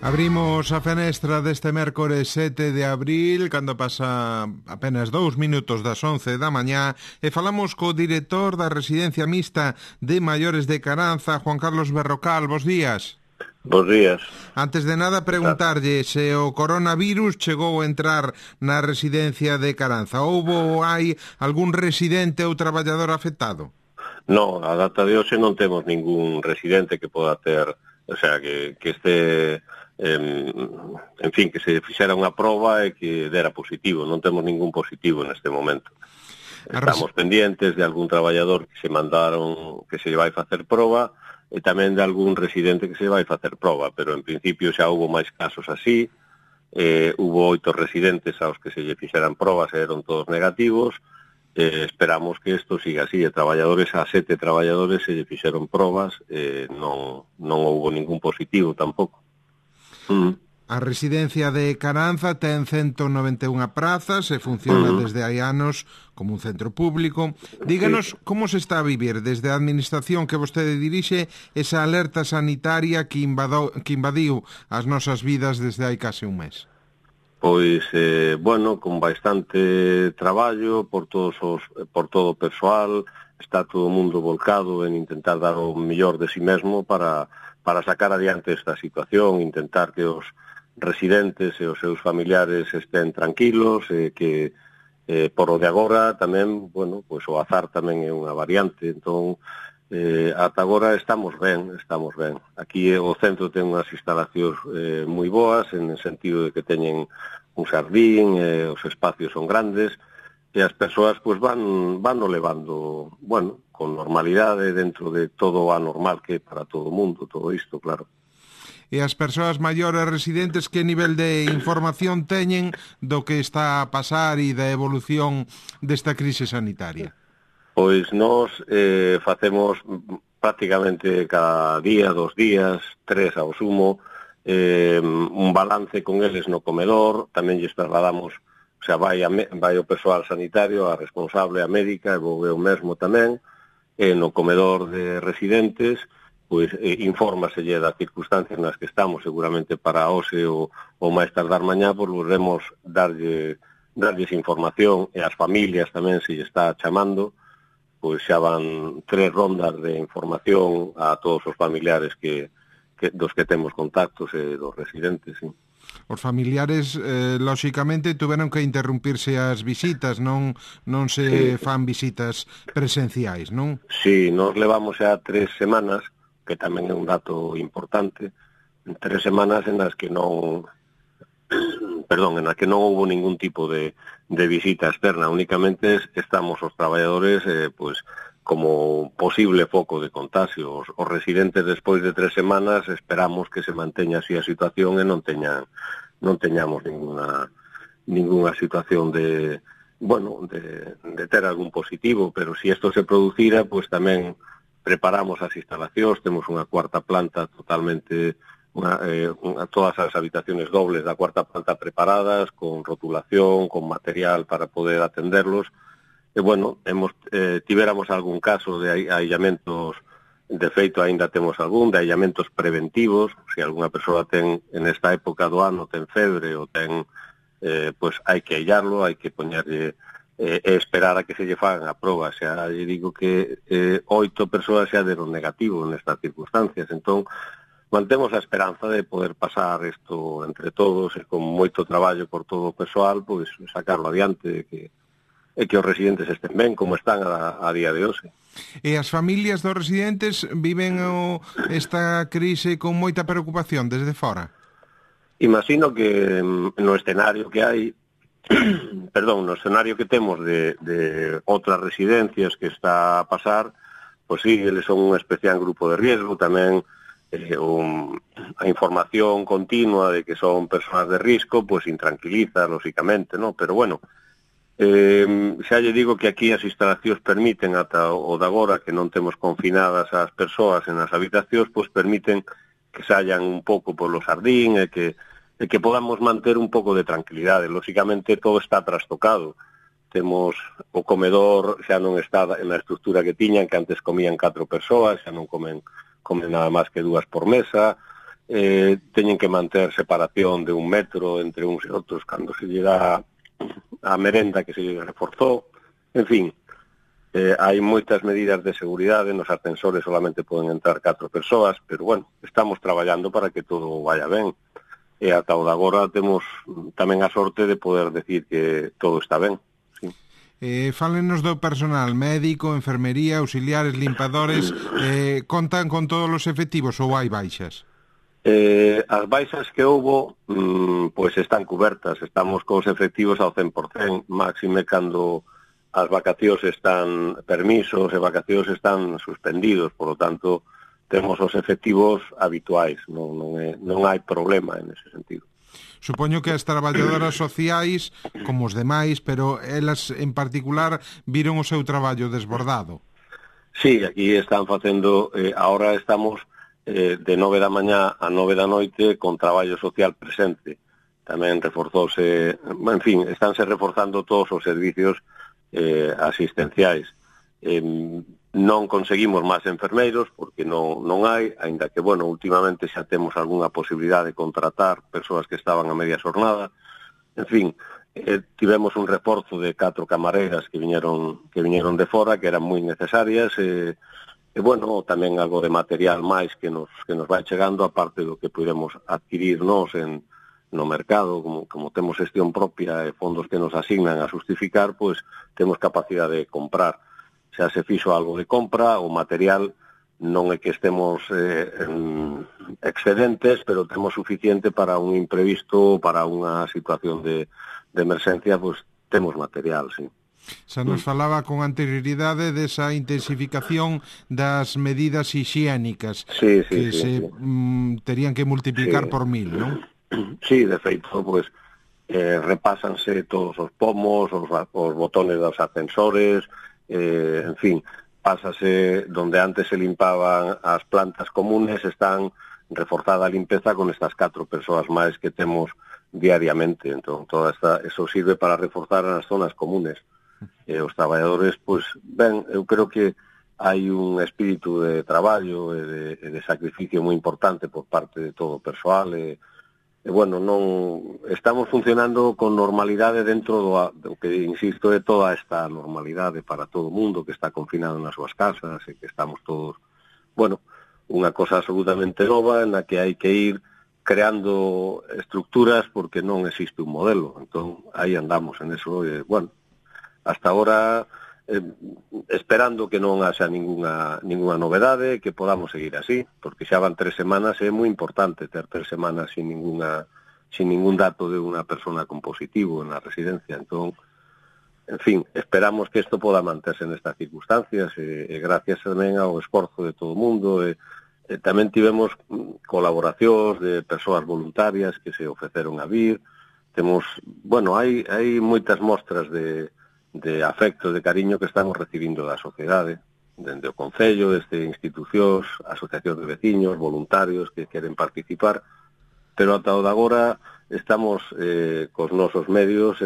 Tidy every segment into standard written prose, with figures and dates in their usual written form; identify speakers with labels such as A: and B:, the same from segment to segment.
A: Abrimos a fenestra deste mércores 7 de abril, cando pasa apenas 2 minutos das 11 da mañá, e falamos co director da Residencia Mixta de Maiores de Caranza, Juan Carlos Berrocal. Bos días.
B: Bos días.
A: Antes de nada, preguntarlle se o coronavirus chegou a entrar na residencia de Caranza. Hai algún residente ou traballador afectado?
B: Non, a data de hoxe non temos ningún residente que poda ter, o sea, que este, en fin, que se fixera unha proba e que dera positivo. Non temos ningún positivo neste momento. Estamos pendientes de algún traballador que se mandaron, que se vai facer proba, e tamén de algún residente que se vai facer proba, pero en principio xa houve máis casos así. Hubo 8 residentes aos que se lle fixeran probas e eran todos negativos. Esperamos que isto siga así. A 7 traballadores se lle fixeron probas, non houve ningún positivo tampouco.
A: A residencia de Caranza ten 191 prazas e funciona desde hai anos como un centro público. Díganos como se está a vivir desde a administración que vostede dirixe esa alerta sanitaria que invadiu as nosas vidas desde hai case un mes.
B: Pois, con bastante traballo por todo o persoal. Está todo o mundo volcado en intentar dar o mellor de si mesmo para sacar adiante esta situación, intentar que os residentes e os seus familiares estén tranquilos, que por o de agora tamén, pois o azar tamén é unha variante, entón ata agora estamos ben. Aquí o centro ten unhas instalacións moi boas, en el sentido de que teñen un xardín, os espacios son grandes, e as persoas pois van levando, con normalidade dentro de todo o anormal que é para todo o mundo, todo isto, claro.
A: E as persoas maiores residentes, que nivel de información teñen do que está a pasar e da evolución desta crise sanitaria?
B: Pois nós facemos prácticamente cada día, 2 días, 3 ao sumo, un balance con eles no comedor. Tamén lles trasladamos, o sea, vai o persoal sanitario, a responsable, a médica, e vou eu mesmo tamén, no comedor de residentes, pois infórmaselle das circunstancias nas que estamos. Seguramente para hoxe ou máis tardar mañá, pois volvemos darlles información, e as familias tamén, se lle está chamando, pois xa van 3 rondas de información a todos os familiares dos que temos contactos e dos residentes, sí.
A: Os familiares, lóxicamente, tuveron que interrumpirse as visitas, non se fan visitas presenciais, non?
B: Sí, nos levamos xa 3 semanas, que tamén é un dato importante, 3 semanas en las que non houve ningún tipo de visita externa. Únicamente estamos os traballadores pois como posible foco de contagio. Os residentes, despois de 3 semanas, esperamos que se manteña así a situación e non teñamos ninguna situación de ter algún positivo, pero si isto se producira, pois tamén preparamos as instalacións. Temos unha cuarta planta totalmente, todas as habitaciones dobles da cuarta planta preparadas, con rotulación, con material para poder atenderlos. E, tivéramos algún caso de aillamentos, de feito, aínda temos algún, de aillamentos preventivos. Se alguna persoa ten, en esta época do ano, ten febre ou ten, pois hai que aillarlo, hai que poñerlle esperar a que se lle fagan a proba. Xa lle digo que 8 persoas xa deron negativo nestas circunstancias. Entón, mantemos a esperanza de poder pasar isto entre todos, e con moito traballo por todo o persoal, pois sacarlo adiante, e que os residentes estén ben, como están a día de hoxe.
A: E as familias dos residentes viven esta crise con moita preocupación desde fora?
B: Imagino que no escenario que hai, no escenario que temos de outras residencias que está a pasar, pois sí, eles son un especial grupo de riesgo. Tamén a información continua de que son persoas de risco, pois intranquiliza, lóxicamente, non? Pero xa lle digo que aquí as instalacións permiten, ata o de agora, que non temos confinadas as persoas en as habitacións, pois permiten que saian un pouco polo xardín e que podamos manter un pouco de tranquilidade. Lóxicamente todo está trastocado. Temos o comedor, xa non está na estrutura que tiñan, que antes comían 4 persoas, xa non comen nada máis que 2 por mesa. teñen que manter separación de 1 metro entre uns e outros cando se lle dá a merenda que se lle reforzou. En fin, hai moitas medidas de seguridade, nos ascensores solamente poden entrar 4 persoas, pero bueno, estamos traballando para que todo vaya ben. E ata o de agora temos tamén a sorte de poder decir que todo está ben. Sí.
A: Fálenos do personal, médico, enfermería, auxiliares, limpadores, contan con todos os efectivos ou hai baixas?
B: As baixas que houbo pois están cubertas, estamos cos efectivos ao 100%, máxime cando as vacacións están permisos e vacacións están suspendidos, por lo tanto temos os efectivos habituais, non hai problema en ese sentido.
A: Supoño que as traballadoras sociais, como os demais, pero elas en particular viron o seu traballo desbordado.
B: Sí, aquí están facendo, ahora estamos de 9 da mañá a 9 da noite con traballo social presente. Tamén reforzouse, en fin, estánse reforzando todos os servicios asistenciais. Non conseguimos máis enfermeiros porque non hai, aínda que, bueno, últimamente xa temos algunha posibilidade de contratar persoas que estaban a media xornada. En fin, tivemos un reforzo de 4 camareras que viñeron de fora, que eran moi necesarias, e bueno, tamén algo de material máis que nos vai chegando, aparte do que podemos adquirir nós no mercado, como temos xestión propia e fondos que nos asignan a justificar, pois temos capacidade de comprar. Xa se fixo algo de compra, o material non é que estemos excedentes, pero temos suficiente para un imprevisto, para unha situación de emerxencia, pois temos material, sí.
A: Xa nos falaba con anterioridade desa intensificación das medidas hixiénicas que se terían que multiplicar por 1000, non?
B: Sí, de feito, pues, repásanse todos os pomos, os botones dos ascensores, en fin, pásase donde antes se limpaban as plantas comunes, están reforzada a limpeza con estas 4 persoas máis que temos diariamente. Entón, eso sirve para reforzar as zonas comunes. Os traballadores, pois, ben, eu creo que hai un espírito de traballo e de sacrificio moi importante por parte de todo o persoal e bueno, non estamos funcionando con normalidade dentro do que, insisto, é toda esta normalidade para todo o mundo que está confinado nas súas casas e que estamos todos, bueno, unha cosa absolutamente nova en la que hai que ir creando estructuras porque non existe un modelo. Entón, aí andamos en eso e, bueno, hasta agora esperando que non haxa ninguna novedade, que podamos seguir así, porque xa van 3 semanas, é moi importante ter 3 semanas sin ningún dato de unha persona con positivo na residencia. Entón, en fin, esperamos que isto poda manterse nestas circunstancias e gracias tamén ao esforzo de todo o mundo e tamén tivemos colaboracións de persoas voluntarias que se ofreceron a vir. Temos, bueno, hai moitas mostras de afecto, de cariño que estamos recibindo da sociedade, dende o Concello, desde institucións, asociacións de veciños, voluntarios que queren participar, pero ata o de agora estamos cos nosos medios,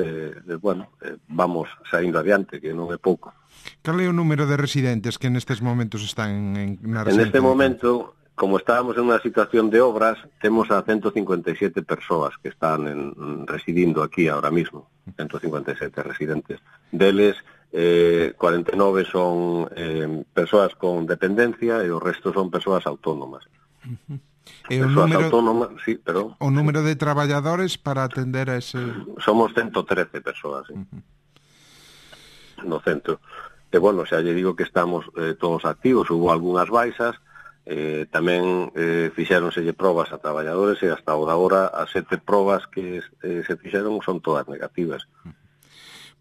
B: bueno, vamos saindo adiante, que non é pouco.
A: Cal é o número de residentes que nestes momentos están na residencia?
B: En este momento, como estábamos en unha situación de obras, temos a 157 persoas que están residindo aquí ahora mismo, 157 residentes. Deles, 49 son persoas con dependencia e o resto son persoas autónomas.
A: E o número de traballadores para atender a ese...
B: Somos 113 persoas, no centro. E, bueno, xa lle digo que estamos todos activos, hubo algunhas baixas, tamén fixéronselle probas a traballadores e hasta o de agora as 7 probas que se fixeron son todas negativas.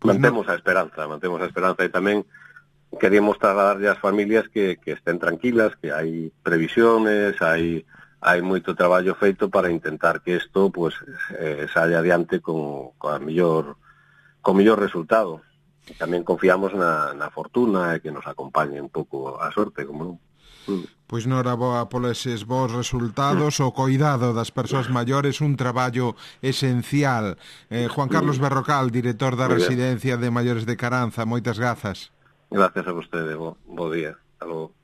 B: Mantemos a esperanza e tamén queríamos trasladarlle ás familias que estén tranquilas, que hai previsiones, hai moito traballo feito para intentar que isto pues, saia adiante con mellor resultado. E tamén confiamos na fortuna e que nos acompañe un pouco a sorte, como non.
A: Pois noraboa polos vos resultados, o coidado das persoas maiores, un traballo esencial. Juan Carlos Berrocal, director da Residencia de Maiores de Caranza, moitas grazas.
B: Gracias a vostede, bo día. Hasta logo.